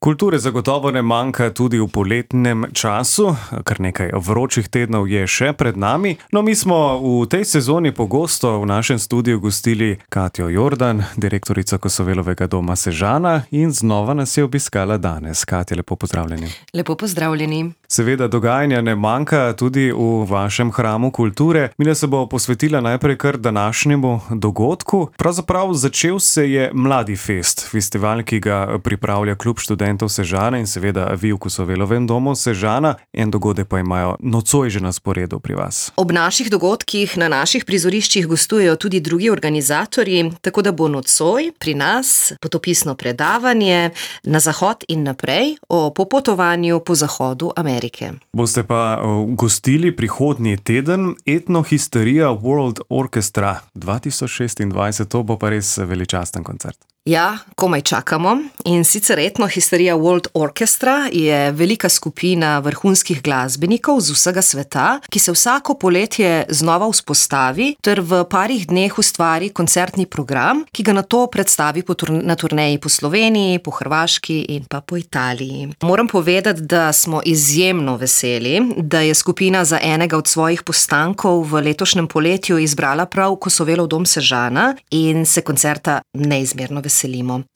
Kulture zagotovo ne manjka tudi v poletnem času, kar nekaj vročih tednov je še pred nami. No, mi smo v tej sezoni pogosto v našem studiu gostili Katjo Jordan, direktorica Kosovelovega doma Sežana, in znova nas je obiskala danes. Katja, lepo pozdravljeni. Lepo pozdravljeni. Seveda dogajanja ne manjka tudi v vašem hramu kulture. Mina se bo posvetila najprej kar današnjemu dogodku. Pravzaprav začel se je Mladi fest, festival, ki ga pripravlja Klub študentov Sežana in seveda vi v Kosovelovem domu Sežana. En dogodek pa imajo nocoj že na sporedu pri vas. Ob naših dogodkih na naših prizoriščih gostujejo tudi drugi organizatorji, tako da bo nocoj pri nas potopisno predavanje Na zahod in naprej o popotovanju po zahodu Amerike. Boste pa gostili prihodnji teden Etnohisterija World Orchestra 2026, to bo pa res veličasten koncert. Ja, komaj čakamo. In sicer Etnohisterija World Orchestra je velika skupina vrhunskih glasbenikov z vsega sveta, ki se vsako poletje znova vzpostavi ter v parih dneh ustvari koncertni program, ki ga nato predstavi na turneji po Sloveniji, po Hrvaški in pa po Italiji. Moram povedati, da smo izjemno veseli, da je skupina za enega od svojih postankov v letošnjem poletju izbrala prav Kosovelov dom Sežana in se koncerta neizmerno veselimo.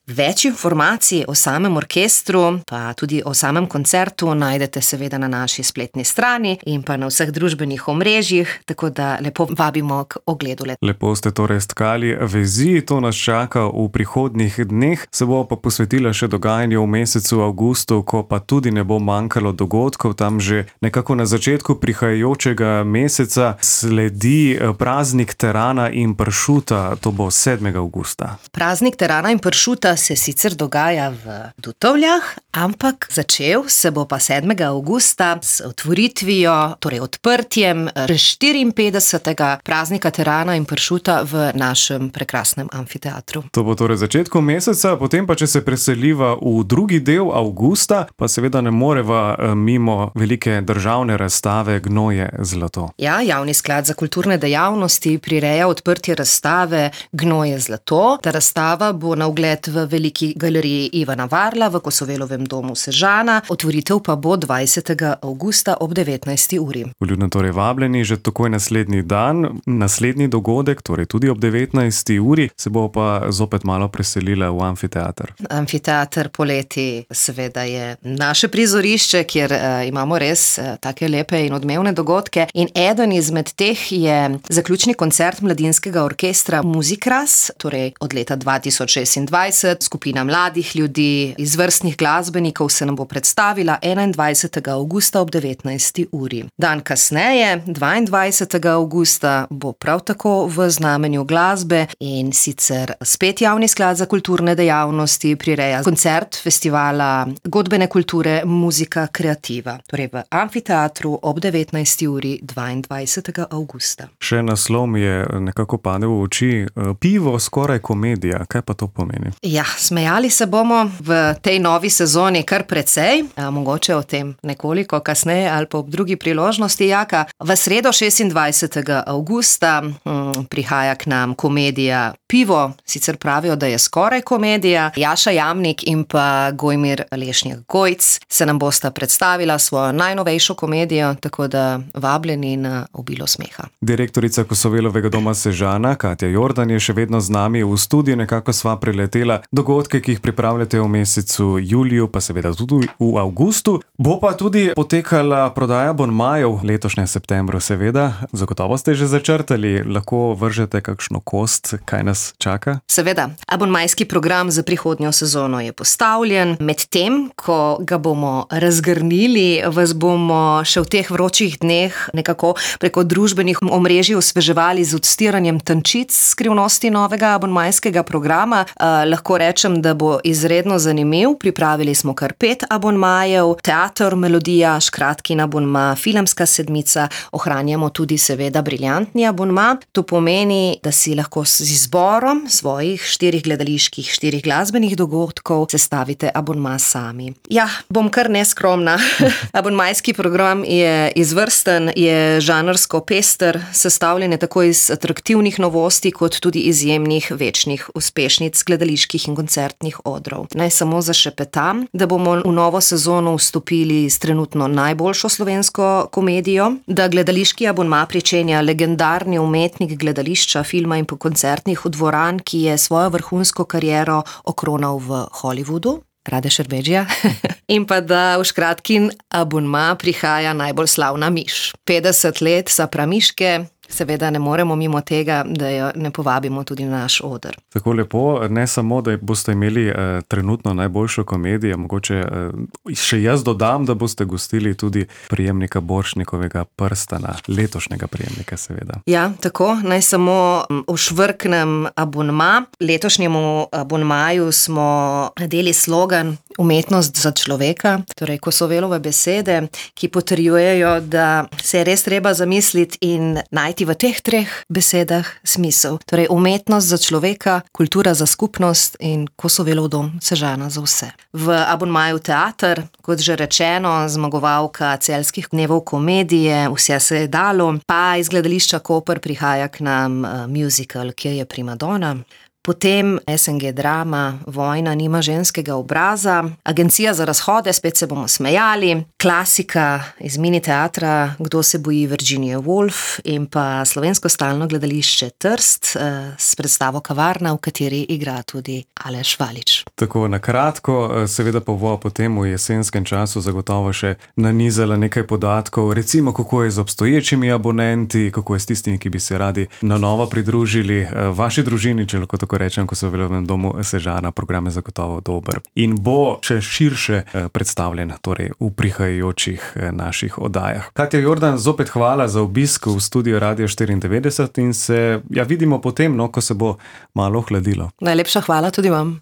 Več informacij o samem orkestru, pa tudi o samem koncertu najdete seveda na naši spletni strani in pa na vseh družbenih omrežjih, tako da lepo vabimo k ogledu. Lepo ste torej stkali vezi, to nas čaka v prihodnjih dneh. Se bo pa posvetila še dogajanju v mesecu avgustu, ko pa tudi ne bo manjkalo dogodkov. Tam že nekako na začetku prihajajočega meseca sledi praznik terana in pršuta, to bo 7. avgusta. Praznik terana in pršuta se sicer dogaja v Dutovljah, ampak začel se bo pa 7. avgusta s otvoritvijo, torej odprtjem 54. praznika terana in pršuta v našem prekrasnem amfiteatru. To bo torej začetku meseca, potem pa, če se preseliva v drugi del avgusta, pa seveda ne moreva mimo velike državne razstave Gnoje zlato. Ja, Javni sklad za kulturne dejavnosti prireja odprtje razstave Gnoje zlato. Ta razstava bo na ogled v Veliki galeriji Ivana Varla v Kosovelovem domu Sežana. Otvoritev pa bo 20. avgusta ob 19. uri. Vljudno torej vabljeni že takoj naslednji dan. Naslednji dogodek, torej tudi ob 19. uri, se bo pa zopet malo preselila v amfiteater. Amfiteater poleti seveda je naše prizorišče, kjer imamo res take lepe in odmevne dogodke. In eden izmed teh je zaključni koncert mladinskega orkestra Muzikras, torej od leta 2026. Skupina mladih ljudi, izvrstnih glasbenikov se nam bo predstavila 21. avgusta ob 19. uri. Dan kasneje, 22. avgusta, bo prav tako v znamenju glasbe in sicer spet Javni sklad za kulturne dejavnosti prireja koncert festivala godbene kulture Muzika kreativa, torej v amfiteatru ob 19. uri 22. avgusta. Še naslov mi je nekako padel v oči. Pivo skoraj komedija. Kaj pa to pomeni? Ja, smejali se bomo v tej novi sezoni kar precej, mogoče o tem nekoliko kasneje ali pa ob drugi priložnosti. Jaka, v sredo 26. avgusta prihaja k nam komedija Pivo, sicer pravijo, da je skoraj komedija. Jaša Jamnik in pa Gojmir Lešnjak-Gojc se nam bosta predstavila svojo najnovejšo komedijo, tako da vabljeni na obilo smeha. Direktorica Kosovelovega doma Sežana, Katja Jordan, je še vedno z nami v studiu, nekako sva priletela dogodke, ki jih pripravljate v mesecu juliju, pa seveda tudi v avgustu. Bo pa tudi potekala prodaja abonmajev letošnjem septembru, seveda. Zagotovo ste že začrtali, lahko vržete kakšno kost, kaj nas čaka? Seveda, abonmajski program za prihodnjo sezono je postavljen. Medtem, ko ga bomo razgrnili, vas bomo še v teh vročih dneh nekako preko družbenih omrežij osveževali z odstiranjem tančic skrivnosti novega abonmajskega programa. Lahko rečem, da bo izredno zanimiv. Pripravili smo kar 5 abonmajev, teater, melodija, škratkin abonma, filmska sedmica, ohranjamo tudi seveda briljantni abonma. To pomeni, da si lahko z izborom svojih 4 gledaliških, 4 glasbenih dogodkov sestavite abonma sami. Ja, bom kar neskromna. Abonmajski program je izvrsten, je žanrsko pester, sestavljen je tako iz atraktivnih novosti, kot tudi izjemnih večnih uspešnic gledaliških in koncertnih odrov. Naj samo zašepetam, da bomo v novo sezono vstopili s trenutno najboljšo slovensko komedijo, da gledališki abonma pričenja legendarni umetnik gledališča, filma in koncertnih dvoran, ki je svojo vrhunsko kariero okronal v Hollywoodu. Rade Šerbedžija. In pa da v Škratkin abonma prihaja najbolj slavna miš. 50 let sa pramiške, seveda ne moremo mimo tega, da jo ne povabimo tudi na naš oder. Tako lepo, ne samo, da boste imeli trenutno najboljšo komedijo, mogoče še jaz dodam, da boste gostili tudi prejemnika Borštnikovega prstana, letošnjega prejemnika seveda. Ja, tako, naj samo ošvrknem abonma. Letošnjemu abonmaju smo nadeli slogan Umetnost za človeka, torej Kosovelove besede, ki potrjujejo, da se je res treba zamisliti in najti v teh 3 besedah smisel. Torej umetnost za človeka, kultura za skupnost in Kosovelov dom Sežana za vse. V abonmaju teater, kot že rečeno, zmagovalka Celjskih dnevov komedije, Vse se je dalo, pa iz gledališča Koper prihaja k nam musical, Kje je primadona. Potem SNG drama Vojna nima ženskega obraza, Agencija za razhode, spet se bomo smejali, klasika iz mini teatra Kdo se boji Virginije Woolf in pa slovensko stalno gledališče Trst s predstavo Kavarna, v kateri igra tudi Aleš Valič. Tako na kratko, seveda pa bo potem v jesenskem času zagotovo še nanizala nekaj podatkov, recimo kako je z obstoječimi abonenti, kako je s tistimi, ki bi se radi na novo pridružili vaši družini, če lahko tako rečem, ko so v Velovnem domu Sežana, program je zagotovo dober. In bo še širše predstavljen, torej v prihajajočih naših oddajah. Katja Jordan, zopet hvala za obisk v studiu Radio 94 in se vidimo potem, ko se bo malo ohladilo. Najlepša hvala tudi vam.